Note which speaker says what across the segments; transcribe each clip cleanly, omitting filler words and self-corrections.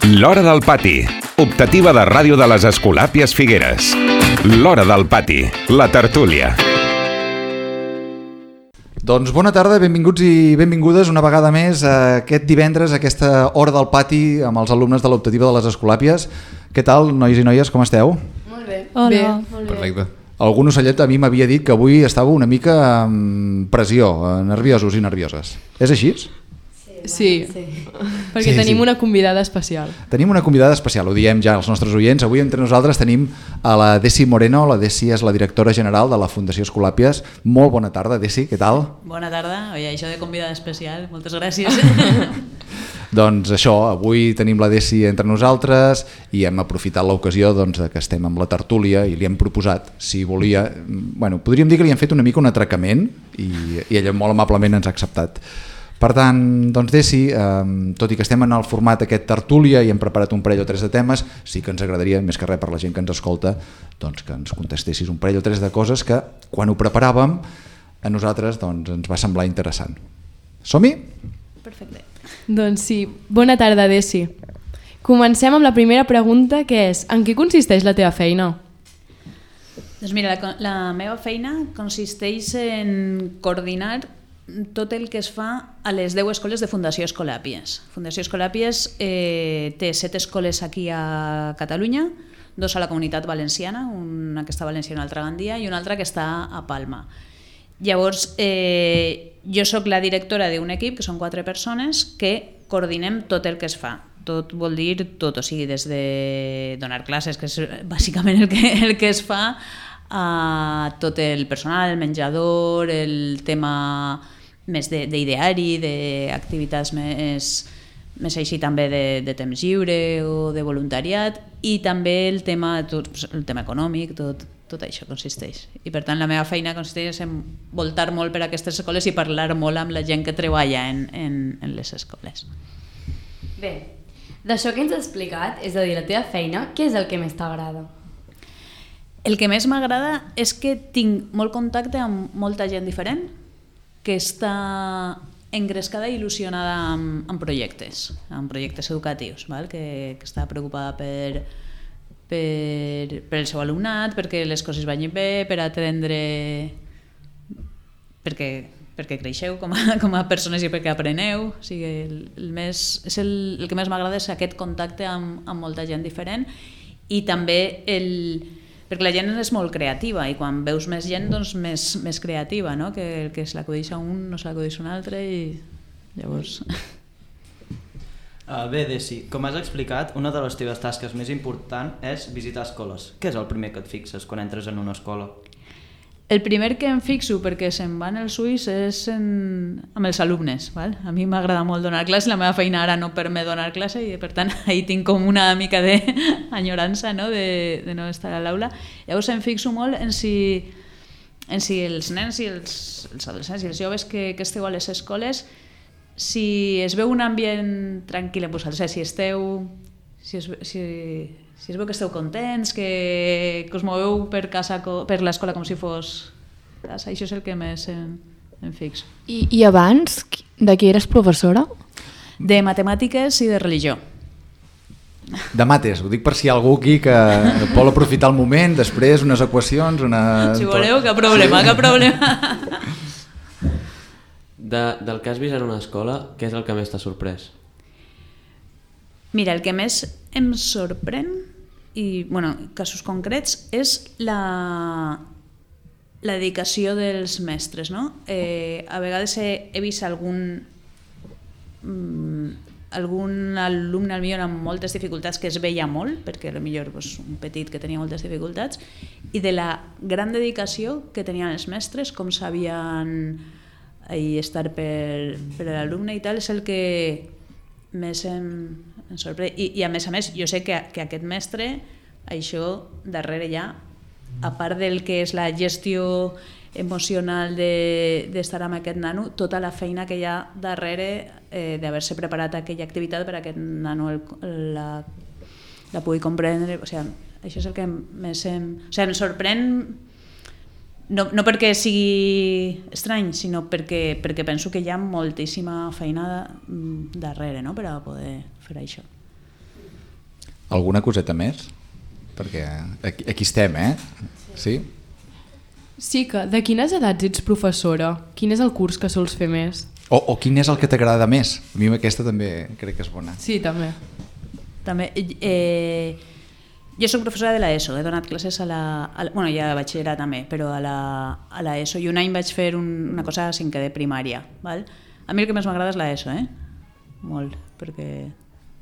Speaker 1: L'Hora del Pati, optativa de ràdio de les Escolàpies Figueres. L'Hora del Pati, la tertúlia.
Speaker 2: Doncs bona tarda, benvinguts i benvingudes una vegada més aquest divendres, a aquesta Hora del Pati amb els alumnes de l'optativa de les Escolàpies. Què tal, nois i noies, com esteu?
Speaker 3: Molt bé.
Speaker 4: Hola.
Speaker 3: Bé, molt bé.
Speaker 2: Perfecte. Algun ocellet a mi m'havia dit que avui estàveu una mica amb pressió, nerviosos i nervioses. És així?
Speaker 3: Sí, perquè tenim una convidada especial.
Speaker 2: Tenim una convidada especial, ho diem ja als nostres oients. Avui entre nosaltres tenim a la Desi Moreno. La Desi és la directora general de la Fundació Escolàpies. Molt bona tarda, Desi, què tal?
Speaker 5: Bona tarda, oi, això de convidada especial, moltes gràcies.
Speaker 2: Doncs això, avui tenim la Desi entre nosaltres i hem aprofitat l'ocasió doncs, que estem amb la tertúlia i li hem proposat, si volia, podríem dir que li hem fet una mica un atracament i ella molt amablement ens ha acceptat. Per tant, doncs Desi, tot i que estem en el format aquest tertúlia i hem preparat un parell o tres de temes, sí que ens agradaria, més que res per la gent que ens escolta, doncs que ens contestessis un parell o tres de coses que quan ho preparàvem a nosaltres doncs, ens va semblar interessant. Som-hi?
Speaker 5: Perfecte.
Speaker 3: Doncs sí, bona tarda, Desi. Comencem amb la primera pregunta, que és: en què consisteix la teva feina?
Speaker 5: Doncs mira, la meva feina consisteix en coordinar tot el que es fa a les 10 escoles de Fundació Escolàpies. Fundació Escolàpies té 7 escoles aquí a Catalunya, 2 a la Comunitat Valenciana, una que està a València i una altra a Gandia, i una altra que està a Palma. Llavors, jo sóc la directora d'un equip, que són 4 persones, que coordinem tot el que es fa. Tot vol dir tot, o sigui, des de donar classes, que és bàsicament el que es fa, a tot el personal, el menjador, el tema més d'ideari, d'activitats més així també de temps lliure o de voluntariat, i també el tema econòmic, tot això consisteix. I per tant la meva feina consisteix en voltar molt per aquestes escoles i parlar molt amb la gent que treballa en les escoles.
Speaker 4: Bé, d'això que ens has explicat, és a dir, la teva feina, què és el que més t'agrada?
Speaker 5: El que més m'agrada és que tinc molt contacte amb molta gent diferent que està engrescada i il·lusionada amb projectes educatius, val? Que està preocupada per el seu alumnat, perquè les coses vagin bé, per atendre, perquè creixeu com a persones i perquè apreneu. O sigui, el que més m'agrada és aquest contacte amb molta gent diferent, i també perquè la gent és molt creativa i quan veus més gent, doncs més creativa, no? Que el que se l'acudeix a un no se l'acudeix a un altre, i llavors...
Speaker 6: Bé, Desi, com has explicat, una de les teves tasques més importants és visitar escoles. Què és el primer que et fixes quan entres en una escola?
Speaker 5: El primer que em fixo, perquè se'n van els ulls, és amb els alumnes. Val? A mi m'agrada molt donar classe, la meva feina ara no permet donar classe i per tant ahí tinc com una mica d'enyorança, no? de no estar a l'aula. Llavors em fixo molt en si els nens i els adolescents i els joves que esteu a les escoles, si es veu un ambient tranquil en vosaltres, si es veu que esteu contents, que us moveu per l'escola com si fos casa. Això és el que més em fixo.
Speaker 4: I abans, de què eres professora?
Speaker 5: De matemàtiques i de religió.
Speaker 2: De mates, ho dic per si hi ha algú aquí que vol aprofitar el moment, després unes equacions,
Speaker 5: Si voleu, cap problema.
Speaker 7: Del que has vist en una escola, què és el que més t'ha sorprès?
Speaker 5: Mira, el que més em sorprèn, i casos concrets, és la dedicació dels mestres, no? A vegades he vist algun alumne millor amb moltes dificultats, que es veia molt, perquè potser un petit que tenia moltes dificultats, i de la gran dedicació que tenien els mestres, com sabien estar per l'alumne i tal, és el que més em sorprèn. I a més, jo sé que aquest mestre, això darrere ja, a part del que és la gestió emocional d'estar amb aquest nano, tota la feina que hi ha darrere d'haver-se preparat aquella activitat per a aquest nano la pugui comprendre. O sigui, això és el que més em sorprèn, no perquè sigui estrany, sinó perquè penso que hi ha moltíssima feina darrere, no?, per a poder fer això.
Speaker 2: Alguna coseta més? Perquè aquí estem, Sí?
Speaker 3: Sí, que de quines edats ets professora? Quin és el curs que sols fer més?
Speaker 2: O quin és el que t'agrada més? A mi aquesta també crec que és bona.
Speaker 3: Sí, també.
Speaker 5: Jo soc professora de l'ESO, he donat classes bueno, ja a batxillerat també, però a l'ESO, i un any vaig fer una cosa a cinquè de primària. Val? A mi el que més m'agrada és l'ESO, molt, perquè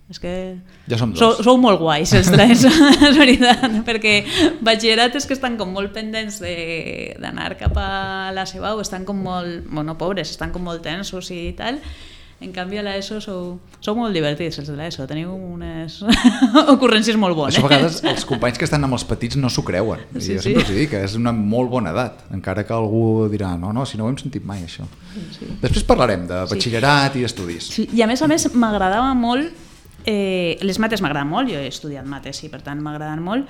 Speaker 5: és que
Speaker 2: ja som dos.
Speaker 5: Sou molt guais els de l'ESO, és veritat, perquè batxillerat és que estan com molt pendents d'anar cap a la Sebau, estan com molt, bueno, pobres, estan com molt tensos i tal. En canvi a l'ESO sou molt divertits, els de l'ESO, teniu unes ocurrències molt bones.
Speaker 2: Això a vegades els companys que estan amb els petits no s'ho creuen.
Speaker 5: Sí,
Speaker 2: jo sempre els dic que és una molt bona edat, encara que algú dirà no, si no ho hem sentit mai això. Sí. Després parlarem de batxillerat i d'estudis.
Speaker 5: Sí. I a més m'agradava molt, les mates m'agraden molt, jo he estudiat mates i per tant m'agraden molt.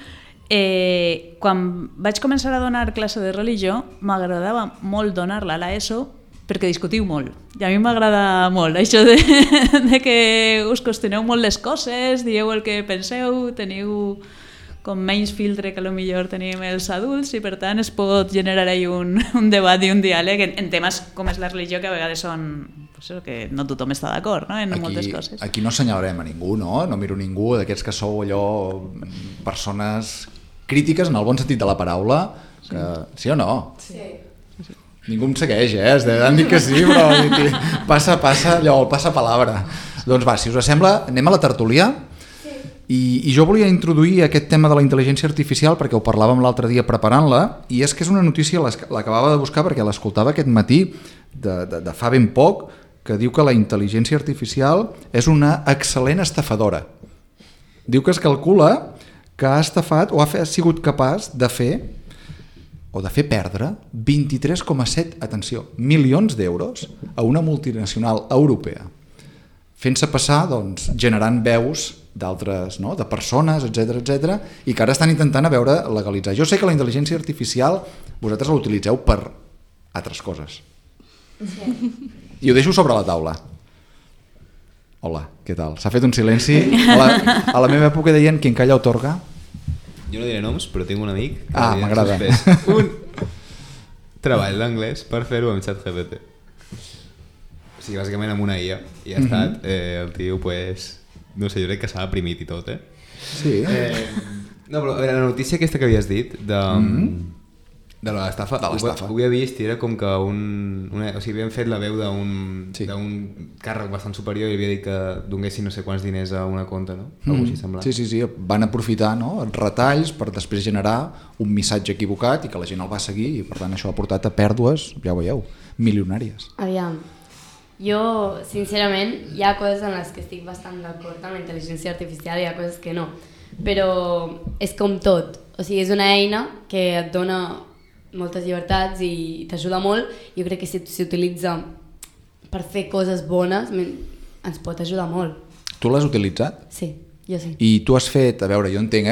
Speaker 5: Quan vaig començar a donar classe de religió m'agradava molt donar-la a l'ESO perquè discutiu molt, i a mi m'agrada molt això de que us qüestioneu molt les coses, dieu el que penseu, teniu com menys filtre que potser tenim els adults i per tant es pot generar ahí un debat i un diàleg en temes com és la religió, que a vegades són que no tothom està d'acord, en moltes coses.
Speaker 2: Aquí no assenyalarem a ningú, no miro ningú d'aquests que sou allò persones crítiques en el bon sentit de la paraula, sí o no? Sí. Ningú em segueix, han dit que sí, però passa allò, el passa palabra. Doncs va, si us sembla, anem a la tertúlia. I jo volia introduir aquest tema de la intel·ligència artificial perquè ho parlàvem l'altre dia preparant-la, i és que és una notícia, l'acabava de buscar perquè l'escoltava aquest matí de fa ben poc, que diu que la intel·ligència artificial és una excel·lent estafadora. Diu que es calcula que ha estafat o ha sigut capaç de fer perdre 23,7, atenció, milions d'euros a una multinacional europea, fent-se passar, doncs, generant veus d'altres, de persones, etc, i que ara estan intentant a veure legalitzar. Jo sé que la intel·ligència artificial vosaltres la utilitzeu per altres coses. Sí. I ho deixo sobre la taula. Hola, què tal? S'ha fet un silenci. A la meva època deien quien calla otorga.
Speaker 8: Jo no diré noms, però tinc un amic que
Speaker 2: m'agrada.
Speaker 8: Un treball d'anglès per fer-ho amb ChatGPT. O sigui, bàsicament amb una IA. I ha estat, el tio, no sé, jo crec que s'ha deprimit i tot,
Speaker 2: Sí.
Speaker 8: No, però la notícia aquesta que havies dit, de l'estafa, ho havia vist i era com que o sigui, havien fet la veu d'un càrrec bastant superior i havia dit que donguessin no sé quants diners a una compte, no? Algo així semblant.
Speaker 2: Sí, van aprofitar retalls per després generar un missatge equivocat i que la gent el va seguir i per tant això ha portat a pèrdues, ja ho veieu, milionàries.
Speaker 4: Aviam, jo sincerament hi ha coses en les que estic bastant d'acord amb la intel·ligència artificial i hi ha coses que no, però és com tot, o sigui, és una eina que et dona moltes llibertats i t'ajuda molt. Jo crec que si s'utilitza per fer coses bones ens pot ajudar molt.
Speaker 2: Tu l'has utilitzat?
Speaker 4: Sí, jo sí.
Speaker 2: I tu has fet, a veure, jo entenc,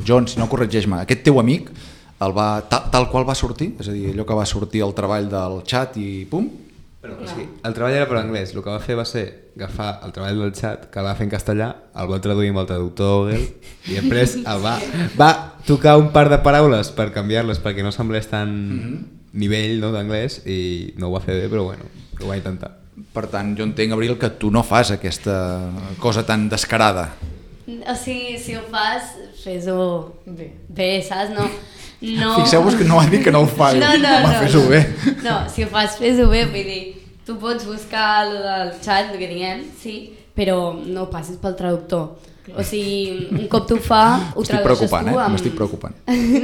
Speaker 2: John, si no corregeix-me, aquest teu amic tal qual va sortir? És a dir, allò que va sortir al treball del xat i pum?
Speaker 8: Però, o sigui, el treball era per anglès, el que va fer va ser agafar el treball del xat, que el va fer en castellà, el va traduir amb el traductor Google i després va tocar un par de paraules per canviar-les perquè no semblés tan nivell d'anglès i no ho va fer bé, però bueno, ho va intentar.
Speaker 2: Per tant, jo entenc, Abril, que tu no fas aquesta cosa tan descarada.
Speaker 4: O sigui, si ho fas, fes-ho bé, saps? No.
Speaker 2: Fixeu-vos que no ha dit que no ho fa, fes-ho bé.
Speaker 4: No, si ho fas, fes-ho bé, vull dir, tu pots buscar el xat, el que diguem, sí, però no passis pel traductor. O sigui, un cop tu fa, ho tradueixes tu amb...
Speaker 2: M'estic preocupant.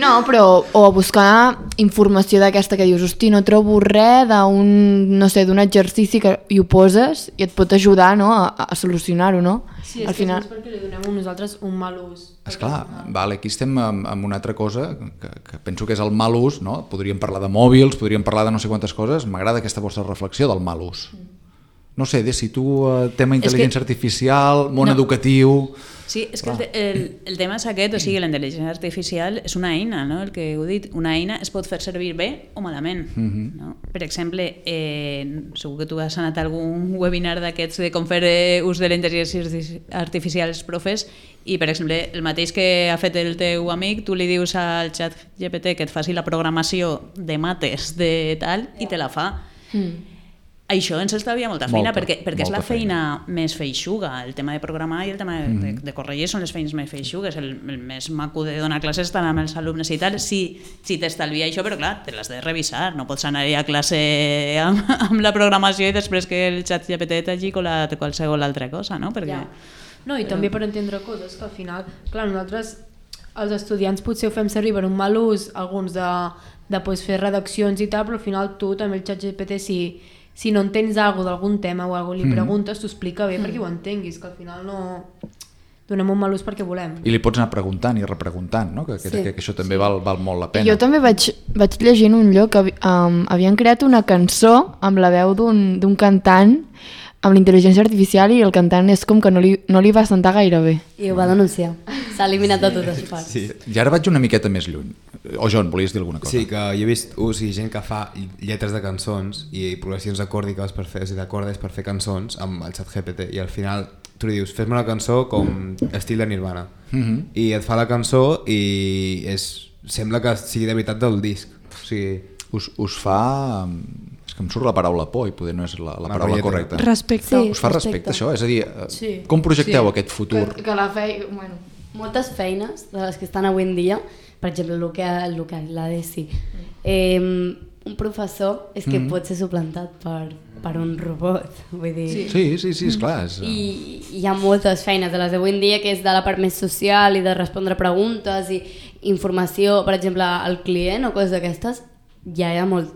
Speaker 9: No, però o buscar informació d'aquesta que dius, hosti, no trobo res d'un exercici que hi ho poses i et pot ajudar, no, a solucionar-ho, no?
Speaker 3: Sí, és que és perquè li donem nosaltres un mal ús.
Speaker 2: Esclar, aquí estem amb una altra cosa que penso que és el mal ús, no? Podríem parlar de mòbils, podríem parlar de no sé quantes coses. M'agrada aquesta vostra reflexió del mal ús. No sé, Desi, tu, tema intel·ligència artificial, món educatiu...
Speaker 5: Sí, és que el tema és aquest, o sigui, la intel·ligència artificial és una eina, no? El que heu dit, una eina es pot fer servir bé o malament. No? Per exemple, segur que tu has anat a algun webinar d'aquests de com fer ús de la intel·ligència artificial als profes i, per exemple, el mateix que ha fet el teu amic, tu li dius al xat GPT que et faci la programació de mates de tal i te la fa. Això ens estalvia molta feina, perquè és la feina més feixuga. El tema de programar i el tema de corregir són les feines més feixugues. El més maco de donar classes estar amb els alumnes i tal. Si t'estalvia això, però clar, te l'has de revisar. No pots anar a classe amb la programació i després que el xat GPT t'hagi colat qualsevol altra cosa, no? Perquè...
Speaker 10: No, i també per entendre coses que al final, clar, nosaltres, els estudiants potser ho fem servir per un mal ús, alguns de fer redaccions i tal, però al final tu també el xat GPT si no entens alguna d'algun tema o alguna li preguntes, t'ho explica bé perquè ho entenguis, que al final no donem un mal ús perquè volem.
Speaker 2: I li pots anar preguntant i repreguntant, no? Que això també val molt la pena.
Speaker 9: Jo també vaig llegir en un lloc que havien creat una cançó amb la veu d'un cantant amb la intel·ligència artificial i el cantant és com que no li va sentar gaire bé.
Speaker 4: I ho va denunciar. S'ha eliminat de totes parts.
Speaker 2: Sí. I ara vaig una miqueta més lluny. O John, volies dir alguna cosa?
Speaker 8: Sí, que jo he vist gent que fa lletres de cançons i progressions acòrdiques per fer, d'acordes per fer cançons amb el xat GPT i al final tu li dius, fes-me una cançó com estil de Nirvana i et fa la cançó i sembla que sigui de veritat del disc. O sigui,
Speaker 2: us fa... És que em surt la paraula por i poder no és la paraula correcta.
Speaker 3: Respecte.
Speaker 2: Sí, us fa respecte això? És a dir, com projecteu aquest futur?
Speaker 9: Que la feina... Bueno.
Speaker 4: Moltes feines de les que estan avui en dia, per exemple, el que la Desi, un professor és que pot ser suplantat per un robot, vull dir...
Speaker 2: Sí, esclar.
Speaker 4: I hi ha moltes feines de les d'avui en dia que és de la part més social i de respondre preguntes i informació, per exemple, al client o coses d'aquestes, ja hi ha molts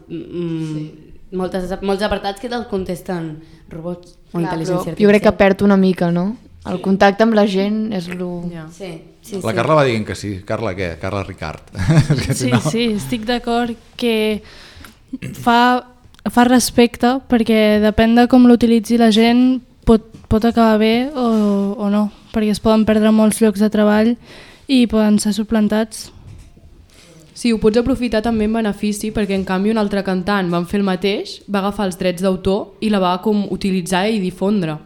Speaker 4: apartats que te'ls contesten robots o intel·ligència artificial.
Speaker 9: Jo crec que perd una mica, no? El contacte amb la gent és el...
Speaker 4: Sí.
Speaker 2: La Carla va dient que sí. Carla què? Carla Ricard.
Speaker 3: Sí, estic d'acord que fa respecte perquè depèn de com l'utilitzi la gent pot acabar bé o no, perquè es poden perdre molts llocs de treball i poden ser suplantats.
Speaker 11: Sí, ho pots aprofitar també en benefici perquè en canvi un altre cantant va fer el mateix, va agafar els drets d'autor i la va com utilitzar i difondre.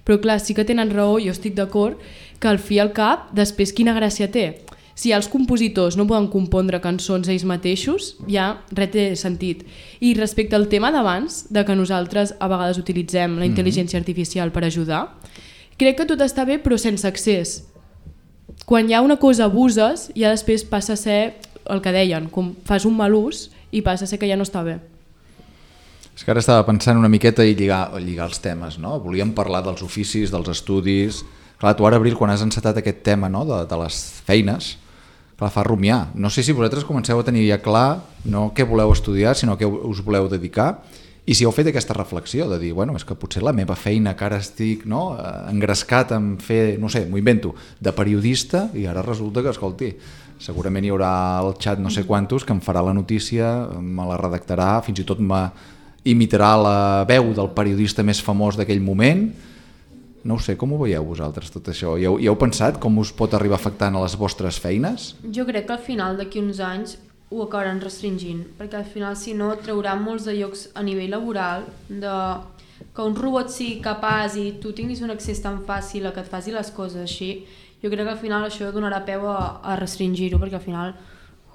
Speaker 11: Però clar, sí que tenen raó, jo estic d'acord, que al fi i al cap, després quina gràcia té? Si els compositors no poden compondre cançons ells mateixos, ja res té sentit. I respecte al tema d'abans, de que nosaltres a vegades utilitzem la intel·ligència artificial per ajudar, crec que tot està bé però sense excés. Quan hi ha una cosa abuses, ja després passa a ser el que deien, com fas un mal ús i passa a ser que ja no està bé.
Speaker 2: És que ara estava pensant una miqueta i lligar els temes, no? Volíem parlar dels oficis, dels estudis... Clar, tu ara, Abril, quan has encetat aquest tema, no? de les feines, clar, fa rumiar. No sé si vosaltres comenceu a tenir ja clar no què voleu estudiar, sinó què us voleu dedicar, i si heu fet aquesta reflexió de dir, bueno, és que potser la meva feina que ara estic engrescat en fer, no sé, m'ho invento, de periodista, i ara resulta que, escolti, segurament hi haurà el xat no sé quantos que em farà la notícia, me la redactarà, fins i tot imitarà la veu del periodista més famós d'aquell moment. No ho sé, com ho veieu vosaltres tot això? Hi heu pensat com us pot arribar afectant a les vostres feines?
Speaker 10: Jo crec que al final d'aquí uns anys ho acabaran restringint, perquè al final si no traurà molts de llocs a nivell laboral que un robot sigui capaç i tu tinguis un accés tan fàcil a que et faci les coses així. Jo crec que al final això donarà peu a restringir-ho, perquè al final,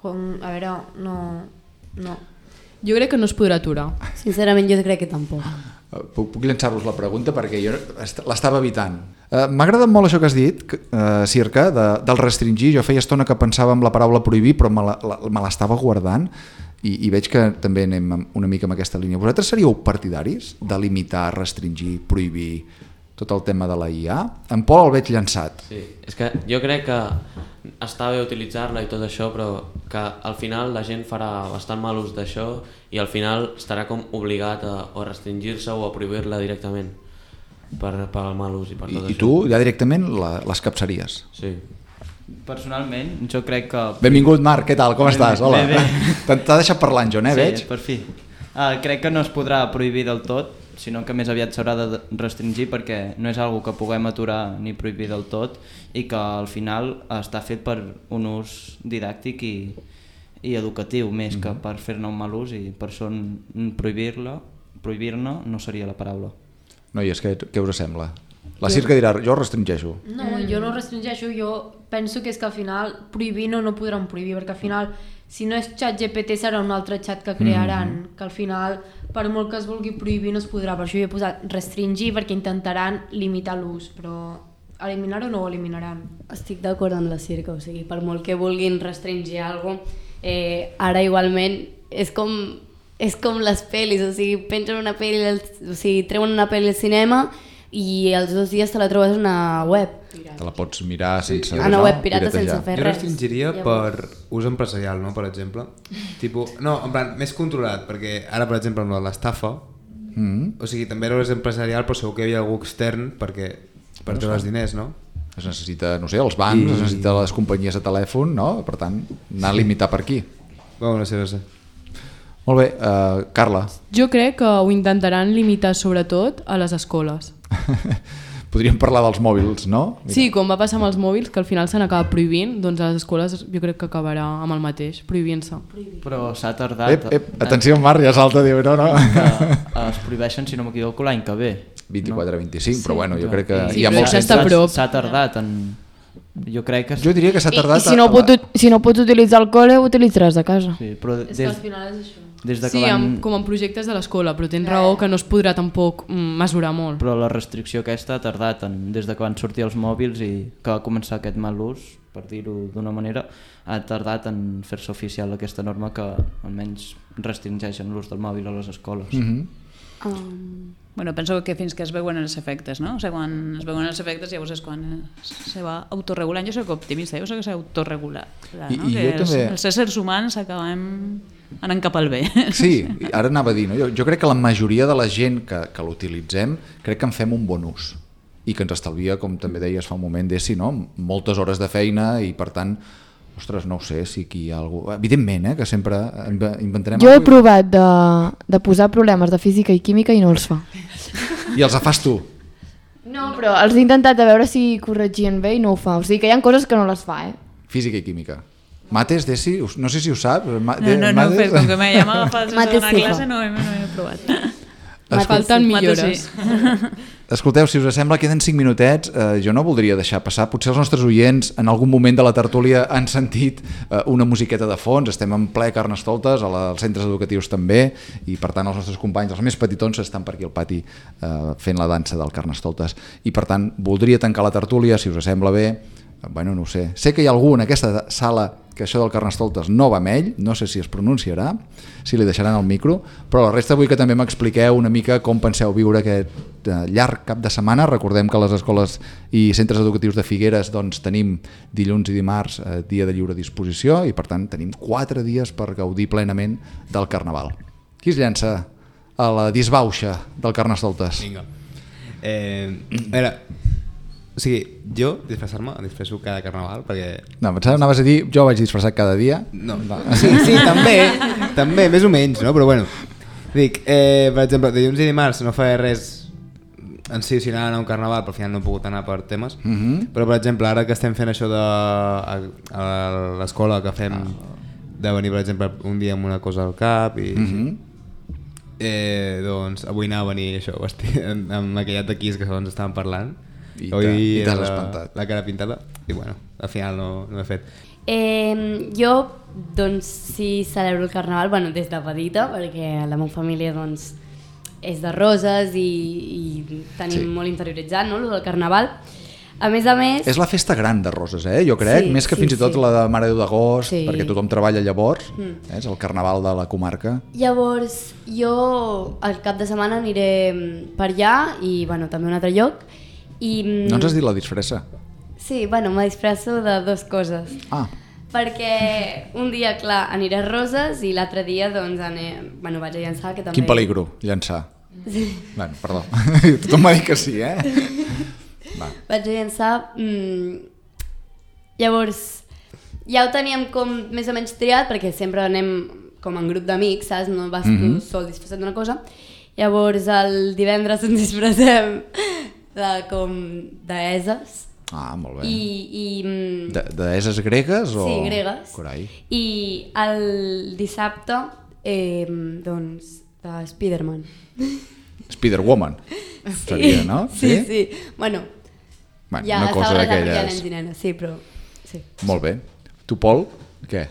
Speaker 10: a veure, no.
Speaker 11: Jo crec que no es podrà aturar.
Speaker 4: Sincerament jo crec que tampoc.
Speaker 2: Puc llançar-vos la pregunta perquè jo l'estava evitant. M'ha agradat molt això que has dit, Circa, del restringir. Jo feia estona que pensava en la paraula prohibir, però me l'estava guardant i veig que també anem una mica en aquesta línia. Vosaltres seríeu partidaris de limitar, restringir, prohibir tot el tema de la IA? En Pol el veig llançat.
Speaker 7: Sí, és que jo crec que està bé utilitzar-la i tot això, però que al final la gent farà bastant mal ús d'això i al final estarà com obligat a restringir-se o a prohibir-la directament per mal ús i per tot això.
Speaker 2: I tu ja directament les capsaries?
Speaker 7: Sí.
Speaker 6: Personalment, jo crec que...
Speaker 2: Benvingut, Marc, què tal? Com estàs? Hola.
Speaker 6: Bé.
Speaker 2: T'ha deixat parlant, John,
Speaker 6: sí,
Speaker 2: veig?
Speaker 6: Sí, per fi. Crec que no es podrà prohibir del tot, sinó que més aviat s'haurà de restringir perquè no és algo que puguem aturar ni prohibir del tot i que al final està fet per un ús didàctic i educatiu més que per fer-ne un mal ús, i per això prohibir-ne no seria la paraula.
Speaker 2: Noies, què us sembla? La Circa dirà, jo restringeixo.
Speaker 10: No, jo no restringeixo, jo penso que és que al final prohibir no podran prohibir, perquè al final si no és ChatGPT serà un altre xat que crearan, que al final per molt que es vulgui prohibir no es podrà, per això jo he posat restringir perquè intentaran limitar l'ús, però eliminar-ho no ho eliminaran.
Speaker 4: Estic d'acord amb la Circa, o sigui, per molt que vulguin restringir alguna cosa, ara igualment és com les pel·lis, o sigui, pengen una pel·li, o sigui, treuen una pel·li al cinema i els 2 dies te la trobes a una web.
Speaker 2: Te la pots mirar sense...
Speaker 4: A una web pirata sense fer res.
Speaker 8: Jo restringiria per ús empresarial, no? Per exemple. No, en plan, més controlat, perquè ara, per exemple, amb l'estafa, o sigui, també era ús empresarial, però segur que hi havia algú extern per treure els diners, no?
Speaker 2: Es necessita, no sé, els bancs, es necessita les companyies de telèfon, no? Per tant, anar a limitar per aquí.
Speaker 8: No sé.
Speaker 2: Molt bé, Carla.
Speaker 11: Jo crec que ho intentaran limitar sobretot a les escoles.
Speaker 2: Podríem parlar dels mòbils, no? Mira.
Speaker 11: Sí, com va passar amb els mòbils, que al final s'han acabat prohibint, doncs a les escoles jo crec que acabarà amb el mateix, prohibint-se.
Speaker 6: Però s'ha tardat...
Speaker 2: Atenció, Marc, ja salta, diu, no.
Speaker 6: Que es prohibeixen, si no m'equivoco, l'any que ve.
Speaker 2: 24-25, però bueno, jo crec que...
Speaker 11: Sí, hi ha molts...
Speaker 6: S'ha tardat en... Jo crec que...
Speaker 2: Jo diria que s'ha tardat...
Speaker 9: I si no pots utilitzar el col·le, ho utilitzaràs a casa.
Speaker 6: Sí, però
Speaker 10: És que al final és això.
Speaker 11: Sí, com en projectes de l'escola, però tens raó que no es podrà tampoc mesurar molt.
Speaker 6: Però la restricció aquesta ha tardat des de que van sortir els mòbils i que va començar aquest mal ús, per dir-ho d'una manera, ha tardat en fer-se oficial aquesta norma que almenys restringeixen l'ús del mòbil a les escoles.
Speaker 5: Bueno, penso que fins que es veuen els efectes, no? O sigui, quan es veuen els efectes llavors és quan se va autorregulant. Jo soc optimista, jo soc que s'autoregular, no? Que els éssers humans acabem anant cap al bé.
Speaker 2: Sí, ara anava a dir, no? Jo crec que la majoria de la gent que l'utilitzem crec que en fem un bon ús i que ens estalvia, com també deies fa un moment, no? Moltes hores de feina i per tant, ostres, no ho sé, si aquí hi ha algú... Evidentment, que sempre inventarem...
Speaker 9: Jo he provat de posar problemes de física i química i no els fa.
Speaker 2: I els fas tu?
Speaker 9: No, però els he intentat a veure si corregien bé i no ho fa. O sigui que hi ha coses que no les fa,
Speaker 2: Física i química. Mates, Desi? No sé si ho saps.
Speaker 5: No, però com que ja m'ha agafat sense donar classe no he provat.
Speaker 11: Falten millores.
Speaker 2: Escolteu, si us sembla, queden 5 minutets. Jo no voldria deixar passar. Potser els nostres oients en algun moment de la tertúlia han sentit una musiqueta de fons. Estem en ple Carnestoltes, als centres educatius també, i per tant els nostres companys, els més petitons, estan per aquí al pati fent la dansa del Carnestoltes. I per tant, voldria tancar la tertúlia, si us sembla bé. Bueno, no ho sé. Sé que hi ha algú en aquesta sala que això del Carnestoltes no va amb ell, no sé si es pronunciarà, si li deixaran el micro, però la resta vull que també m'expliqueu una mica com penseu viure aquest llarg cap de setmana. Recordem que a les escoles i centres educatius de Figueres doncs, tenim dilluns i dimarts dia de lliure disposició i per tant tenim 4 dies per gaudir plenament del Carnaval. Qui es llança a la disbauxa del Carnestoltes?
Speaker 8: Vinga. A veure, o sigui, jo disfressar-me, em disfresso cada Carnaval perquè...
Speaker 2: No, pensava, anaves a dir, jo vaig disfressar cada dia.
Speaker 8: No, sí, també, més o menys, no? Però bueno, dic, per exemple, dilluns i dimarts no faré res en si, si anar a un Carnaval, però al final no he pogut anar per temes, però per exemple, ara que estem fent això a l'escola que fem de venir, per exemple, un dia amb una cosa al cap i doncs avui anava a venir això, amb maquillat de Kiss que ens estaven parlant.
Speaker 2: I t'has espantat.
Speaker 8: La cara pintada i bueno, al final no ho he fet.
Speaker 4: Jo doncs sí celebro el Carnaval, bueno, des de petita, perquè la meva família doncs és de Roses i tenim molt interioritzat, no, el del Carnaval. A més, és
Speaker 2: la festa gran de Roses, jo crec, més que fins i tot la de Mare de Déu d'Agost, perquè tothom treballa llavors, és el Carnaval de la comarca.
Speaker 4: Llavors jo el cap de setmana aniré per allà i bueno, també a un altre lloc.
Speaker 2: No ens has dit la disfressa?
Speaker 4: Sí, bueno, me disfresso de 2 coses. Perquè un dia, clar, aniré a Roses i l'altre dia doncs vaig a llançar, que també...
Speaker 2: Quin peligro, llançar. Sí. Bueno, perdó, tothom m'ha dit que sí,
Speaker 4: Vaig a llançar... Llavors, ja ho teníem com més o menys triat, perquè sempre anem com en grup d'amics, saps? No vas tu sol disfressat d'una cosa. Llavors el divendres ens disfressem d'eses.
Speaker 2: Molt bé.
Speaker 4: I
Speaker 2: Deeses gregues?
Speaker 4: Sí, gregues.
Speaker 2: Carai.
Speaker 4: I el dissabte, doncs, de Spiderman.
Speaker 2: Spider-Woman, seria, no?
Speaker 4: Sí. Bueno, ja
Speaker 2: una cosa d'aquelles.
Speaker 4: nens i nenes, sí, però... Sí.
Speaker 2: Molt bé. Tu, Pol, què?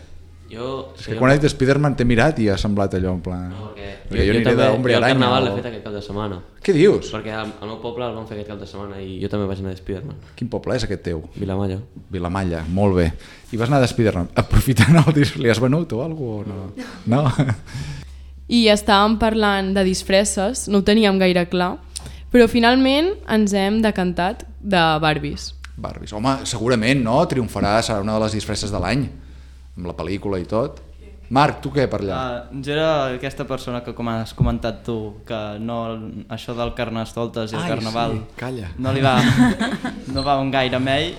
Speaker 2: És que quan ha dit Spiderman t'he mirat i ha semblat allò en plan...
Speaker 7: No,
Speaker 2: perquè jo aniré d'Hombre
Speaker 7: el
Speaker 2: Aranya.
Speaker 7: Carnaval l'he fet aquest cap de setmana.
Speaker 2: Què dius?
Speaker 7: Perquè al meu poble el van fer aquest cap de setmana i jo també vaig anar de Spiderman.
Speaker 2: Quin poble és aquest teu?
Speaker 7: Vilamalla.
Speaker 2: Vilamalla, molt bé. I vas anar de Spiderman aprofitant el disc, li has venut o alguna cosa? No?
Speaker 11: I estàvem parlant de disfresses, no ho teníem gaire clar, però finalment ens hem decantat de Barbies.
Speaker 2: Barbies. Home, segurament, no? Triomfarà, serà una de les disfresses de l'any, amb la pel·lícula i tot. Marc, tu què per allà?
Speaker 6: Jo era aquesta persona que, com has comentat tu, que no, això del carnestoltes i el carnaval
Speaker 2: sí, calla.
Speaker 6: no va un gaire amb ell,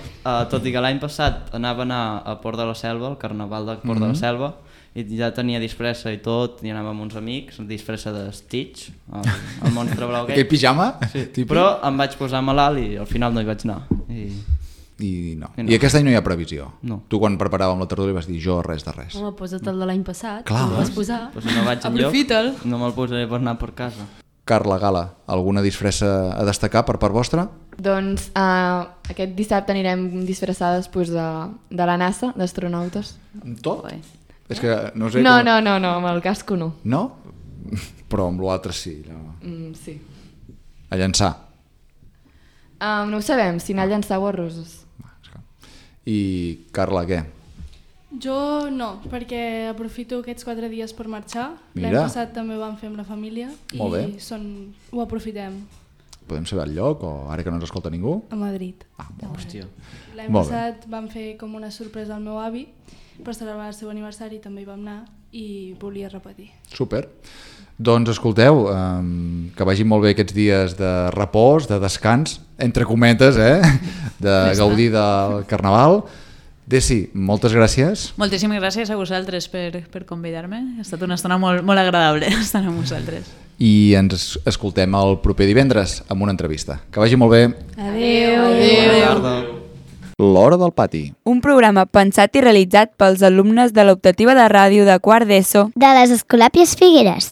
Speaker 6: tot i que l'any passat anava a anar a Port de la Selva, al carnaval de Port de la Selva, i ja tenia disfressa i tot, i anava amb uns amics, disfressa de Stitch, el monstre blau aquell.
Speaker 2: Aquell pijama?
Speaker 6: Sí, però em vaig posar malalt i al final no hi vaig anar.
Speaker 2: I no. I aquest any no hi ha previsió?
Speaker 6: No.
Speaker 2: Tu quan preparàvem la tertúlia vas dir jo res de res.
Speaker 10: Home, posa't el de l'any passat,
Speaker 2: Clar.
Speaker 10: el vas posar.
Speaker 6: Pues si no vaig enlloc,
Speaker 11: Aprofita'l.
Speaker 6: no me'l posaré per anar per casa.
Speaker 2: Carla, Gala, alguna disfressa a destacar per part vostra?
Speaker 9: Doncs aquest dissabte anirem disfressades de la NASA, d'astronautes.
Speaker 2: Amb tot? És que no sé
Speaker 9: No,
Speaker 2: com...
Speaker 9: no, amb el casco no.
Speaker 2: No? Però amb l'altre sí. No.
Speaker 9: Sí.
Speaker 2: A llançar.
Speaker 9: No ho sabem, si anar a llançar o a roses.
Speaker 2: I Carla, què?
Speaker 3: Jo no, perquè aprofito aquests 4 dies per marxar.
Speaker 2: Mira.
Speaker 3: L'any passat també ho vam fer amb la família
Speaker 2: Molt bé.
Speaker 3: i ho aprofitem
Speaker 2: Podem saber el lloc o ara que no ens escolta ningú?
Speaker 3: a Madrid.
Speaker 6: Hòstia.
Speaker 3: L'any
Speaker 2: Molt bé.
Speaker 3: passat vam fer com una sorpresa al meu avi per celebrar el seu aniversari, també hi vam anar i volia repetir.
Speaker 2: Super. Doncs escolteu, que vagin molt bé aquests dies de repòs, de descans, entre cometes, de gaudir del Carnaval. Desi, moltes gràcies.
Speaker 5: Moltíssimes gràcies a vosaltres per convidar-me. Ha estat una estona molt, molt agradable estar amb vosaltres.
Speaker 2: I ens escoltem el proper divendres amb una entrevista. Que vagi molt bé.
Speaker 4: Adéu.
Speaker 2: L'Hora del Pati.
Speaker 12: Un programa pensat i realitzat pels alumnes de l'optativa de ràdio de quart d'ESO
Speaker 13: de les Escolàpies Figueres.